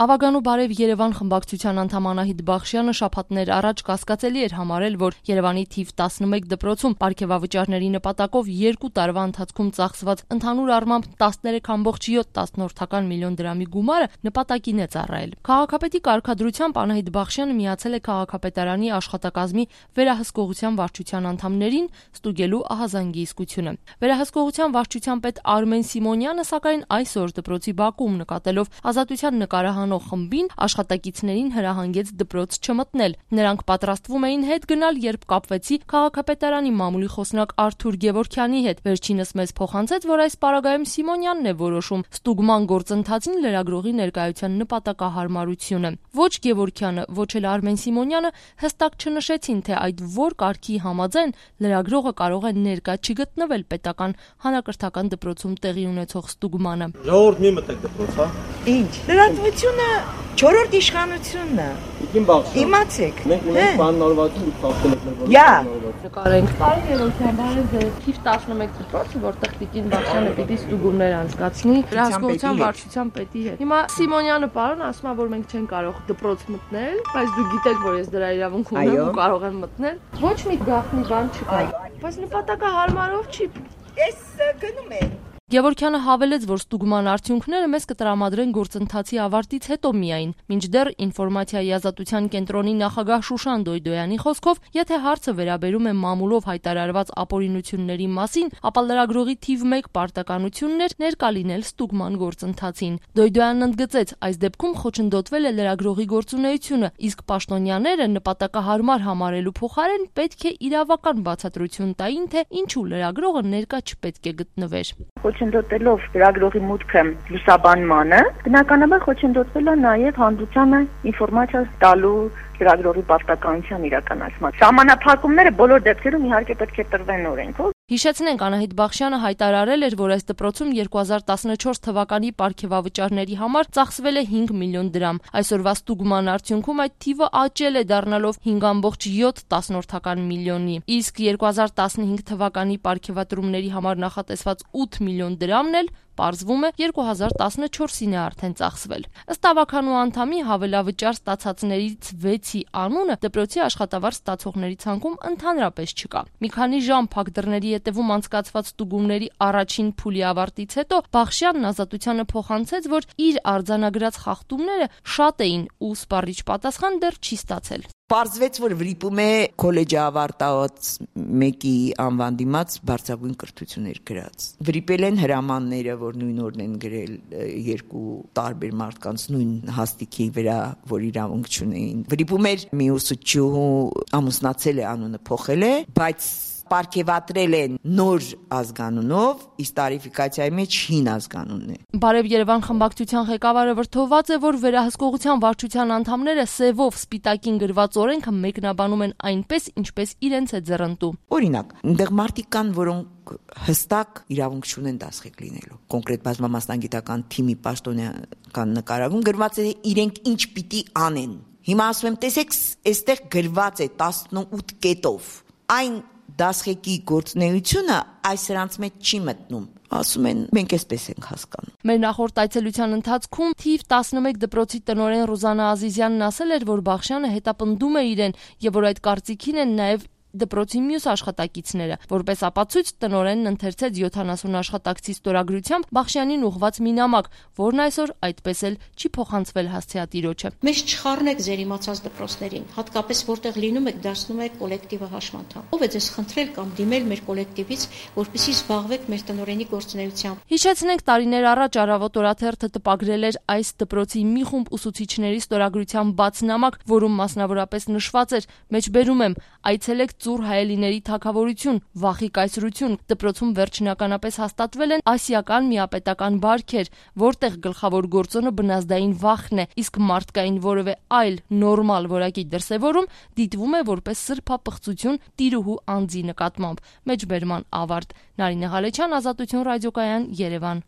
Ավագանու բարև Երևան խմբակցության անդամ Անահիտ Բախշյանը շաբաթներ առաջ կասկածելի էր համարել, որ Երևանի թիվ 11 դպրոցում պարգևավճարների նպատակով 2 տարվա ընթացքում ծախսված ընդհանուր առմամբ 13.7 միլիոն դրամի գումարը նպատակին է ծառայել։ Քաղաքապետի կարգադրությամբ Անահիտ Բախշյանը միացել է քաղաքապետարանի աշխատակազմի վերահսկողության վարչության անդամներին ստուգելու ահազանգի իսկությունը։ Վերահսկողության վարչության պետ Արմեն Սիմոնյանը սակայն այսօր դպրոցի բակում նկատելով ազատության նկարահան խմբին աշխատակիցներին հրահանգեց դպրոց չմտնել։ Նրանք պատրաստվում էին հետ գնալ, երբ կապվեցի քաղաքապետարանի մամուլի խոսնակ Արթուր Գևորգյանի հետ։ Վերջինս մեզ փոխանցեց, որ այս պարագայում Սիմոնյանն է որոշում ստուգման գործընթացին լրագրողի ներկայության նպատակահարմարությունը։ Ոչ Գևորգյանը, ոչ էլ Արմեն Սիմոնյանը հստակ չնշեցին, թե այդ որ կարգի համաձայն լրագրողը կարող է ներկա չգտնվել պետական հանրակրթական դպրոցում տեղի ունեցող ստուգմանը։ Ժողովուրդ մի մտեք դպրոց, հա։ Ինչ։ Լրատվությունը 4-րդ իշխանությունն է։ Իմ Բախշյան։ Իմացեք։ Մենք ունենք բաննորվածություն փոխել ենք։ Յա։ Նկարենք տարի երրորդյան բարև թիվ 11 դպրոցը, որտեղ Տիկին Բախշյանը պիտի ստուգումներ անցկացնի վերահսկողության վարչության պետի հետ։ Հիմա Սիմոնյանը պարոն ասում է, որ մենք չենք կարող դպրոց մտնել, բայց դուք գիտեք, որ ես դրա իրավունք ունեմ ու կարող եմ մտնել։ Ոչ մի գաղտնի բան չկա։ Բայց նպատակահարմարով չի։ Ես գնում եմ։ Գևորգյանը հավելեց, որ ստուգման արդյունքները մեզ կտրամադրեն գործընթացի ավարտից հետո միայն, մինչդեռ ինֆորմացիայի ազատության կենտրոնի նախագահ Շուշան Դոյդոյանի խոսքով, եթե հարցը վերաբերում է մամուլով հայտարարված ապօրինությունների մասին, ապա լրագրողի թիվ 1 պարտականությունն էր ներկա լինել ստուգման գործընթացին։ Դոյդոյանն ընդգծեց, այս դեպքում խոչընդոտվել է լրագրողի գործունեությունը, իսկ պաշտոնյաները նպատակահարմար համարելու փոխարեն պետք է իրավական բացատրություն տային, թե ինչու լրագրողը ներկա չպետք է գտնվեր։ Խոչընդոտելով լրագրողի մուտքը լուսաբանմանը, բնականաբար խոչընդոտվել է նաև հանդուցանը ինֆորմացիա տալու լրագրողի պարտականության իրականացման։ Սահմանափակումները բոլոր դեպքերում իհարկե պետք է տրվեն օրենքով։ Հիշեցնենք, Անահիտ Բախշյանը հայտարարել էր, որ այս դպրոցում 2014 թվականի պարգևավճարների համար ծախսվել է 5 միլիոն դրամ։ Այսօրվա ստուգման արդյունքում այդ թիվը աճել է դառնալով 5.7 միլիոնի, իսկ 2015 թվականի պարգևատրումների համար նախատեսված 8 միլիոն դրամն էլ պարզվում է 2014-ին է արդեն ծախսվել։ Ըստ ավականու անդամի հավելավճար ստացածներից 6-ի անունը դպրոցի աշխատավարձ ստացողների ցանկում ընդհանրապես չկա։ Մի քանի ժամ փակ դռների ետևում անցկացված ստուգումների առաջին փուլի ավարտից հետո Բախշյանն ազատությանը փոխանցեց, որ իր արձանագրած խախտումները շատ էին ու սպառիչ պատասխան դեռ չի ստացել։ Պարզվեց, որ վրիպում է քոլեջի ավարտած մեկի անվան դիմաց բարձրագույն կրթություններ գրած։ Վրիպել են հրամանները, որ նույն օրն են գրել 2 տարբեր մարդկանց նույն հաստիքի վրա, որ իրավունք չունեին։ Վրիպում էր մի ուսուցչուհու ամուսնացել է, անունը փոխել է, բայց պարգևատրել են նոր ազգանունով, իսկ տարիֆիկացիայի մեջ հին ազգանունն է։ Բարև Երևան խմբակցության ղեկավարը վրթոված է, որ վերահսկողության վարչության անդամները սևով սպիտակին գրված օրենքը մեկնաբանում են այնպես, ինչպես իրենց է ձեռնտու։ Օրինակ, այնտեղ մարդիկ կան, որոնք հստակ իրավունք չունեն դասղեկ լինելու։ Կոնկրետ բազմամասնագիտական թիմի պաշտոնական նկարագրում գրված է իրենք ինչ պիտի անեն։ Հիմա ասում եմ, տեսեք, այստեղ գրված է 18 կետով։ Այն դասղեկի գործունեությունը այս սրանց մեջ չի մտնում։ Ասում են, մենք այսպես ենք հասկանում։ Մեր նախորդ այցելության ընթացքում թիվ 11 դպրոցի տնօրեն Ռուզանա Ազիզյանն ասել էր, որ Բախշյանը հետապնդում է իրեն եւ որ այդ կարծիքին են նաեւ դպրոցի մյուս աշխատակիցները, որպես ապացույց տնօրենն ընթերցեց 70 աշխատակցի ստորագրությամբ Բախշյանին ուղղված մի նամակ, որն այսօր այդպես էլ չի փոխանցվել հասցեատիրոջը։ Մեզ չխառնեք ձեր իմացած դպրոցներին, հատկապես որտեղ լինում եք դարձնում եք կոլեկտիվը հաշմանդամ։ Ով է ձեզ խնդրել կամ դիմել մեր կոլեկտիվից, որպեսզի զբաղվեք մեր տնօրենի գործունեությամբ։ Հիշեցնենք, տարիներ առաջ Առավոտ օրաթերթը տպագրել էր այս դպրոցի մի խումբ ուսուցիչների ստորագրությամբ բաց նամակ, որում մասնավորապես նշված էր. մեջբերում եմ, այցելեք Ծուռ հայելիների թագավորություն, վախի կայսրություն, դպրոցում վերջնականապես հաստատվել են ասիական միապետական բարքեր, որտեղ գլխավոր գործոնը բնազդային վախն է, իսկ մարդկային որևէ այլ նորմալ որակի դրսևորում դիտվում է որպես սրբապղծություն տիրուհու անձի նկատմամբ։ Մեջբերման ավարտ։ Նարինե Ղալեչյան, Ազատություն ռադիոկայան, Երևան։